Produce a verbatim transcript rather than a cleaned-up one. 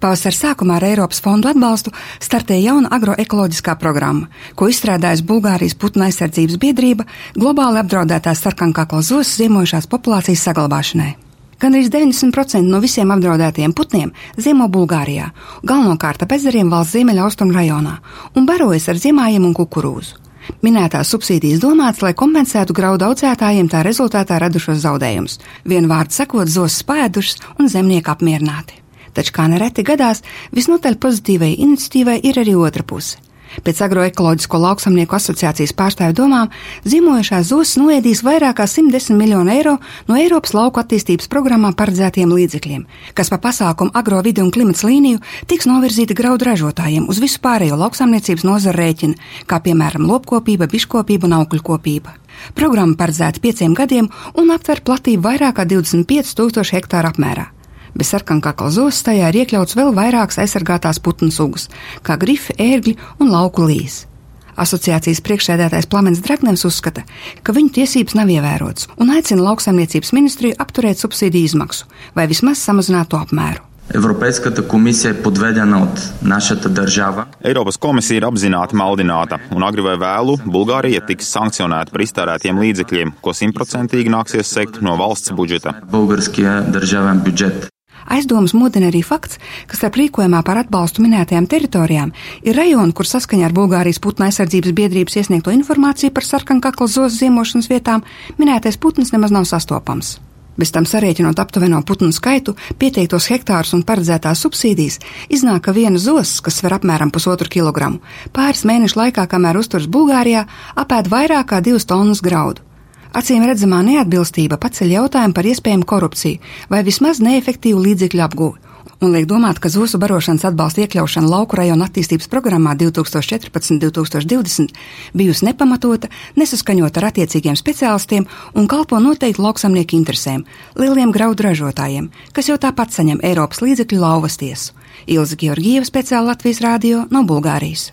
Pavasara sākumā ar Eiropas fondu atbalstu startēja jauna agroekoloģiskā programma, ko izstrādājusi Bulgārijas putnu aizsardzības biedrība globāli apdraudētās sarkankakla zosas ziemojušās populācijas saglabāšanai. Gandrīz deviņdesmit procenti no visiem apdraudētajiem putniem ziemo Bulgārijā, galvenokārt ap ezeriem valsts ziemeļaustrumu rajonā, un barojas ar ziemājiem un kukurūzu. Minētās subsīdijas domāts, lai kompensētu graudu audzētājiem tā rezultātā radušos zaudējumus, vienu vārdu sakot, zosas paēdušas un zemnieki apmierināti. Taču, kā nereti gadās, visnotaļ pozitīvai iniciatīvai ir arī otra puse. Pēc agroekoloģisko lauksamnieku asociācijas pārstāvju domām, ziemojušās zosas noēdīs vairāk kā simt desmit miljonu eiro no Eiropas lauku attīstības programmā paredzētiem līdzekļiem, kas pa pasākumu agro vidi un klimats līniju tiks novirzīti graudu ražotājiem uz visu pārējo lauksaimniecības nozaru rēķina, kā piemēram lopkopība, biškopība un augļkopība. Programma paredzēta pieciem gadiem un aptver platību vairāk kā divdesmit pieci tūkstoši hektāru apmērā. Bez sarkankakla zosas tajā ir iekļauts vēl vairākas aizsargātās putnu sugas, kā grifi, ērgļi un lauku līs. Asociācijas priekšsēdētājs Plamens Dragnevs uzskata, ka viņu tiesības nav ievērotas un aicina lauksaimniecības ministriju apturēt subsīdiju izmaksu vai vismaz samazināt to apmēru. Европейската комисия е подведена от нашата държава. Eiropas komisija ir apzināti maldināta, un agri vai vēlu Bulgārija tiks sankcionēta par iztērētiem līdzekļiem, ko simtprocentīgi nāksies sekt no valsts budžeta. Българския държавен бюджет. Aizdomas modina arī fakts, ka starp rīkojumā par atbalstu minētajām teritorijām ir rajoni, kur saskaņā ar Bulgārijas putnu aizsardzības biedrības iesniegto informāciju par sarkankakla zosas ziemošanas vietām minētais putns nemaz nav sastopams. Bez tam sarēķinot aptuveno putnu skaitu, pieteiktos hektārus un paredzētās subsīdijas, iznāk, ka viena zosas, kas sver apmēram pusotru kilogramu, pāris mēnešu laikā, kamēr uzturas Bulgārijā, apēd vairāk kā divas tonnas graudu. Acīm redzamā neatbilstība paceļ jautājumu par iespējamu korupciju vai vismaz neefektīvu līdzekļu apguvi un liek domāt, ka zosu barošanas atbalsta iekļaušana lauku rajonu attīstības programmā divtūkstoš četrpadsmit līdz divtūkstoš divdesmit bijusi nepamatota, nesaskaņota ar attiecīgiem speciālistiem un kalpo noteikti lauksamnieku interesēm, lieliem graudu ražotājiem, kas jau tāpat saņem Eiropas līdzekļu lauvas tiesu. Ilze Georgieva, speciāli Latvijas rādio no Bulgārijas.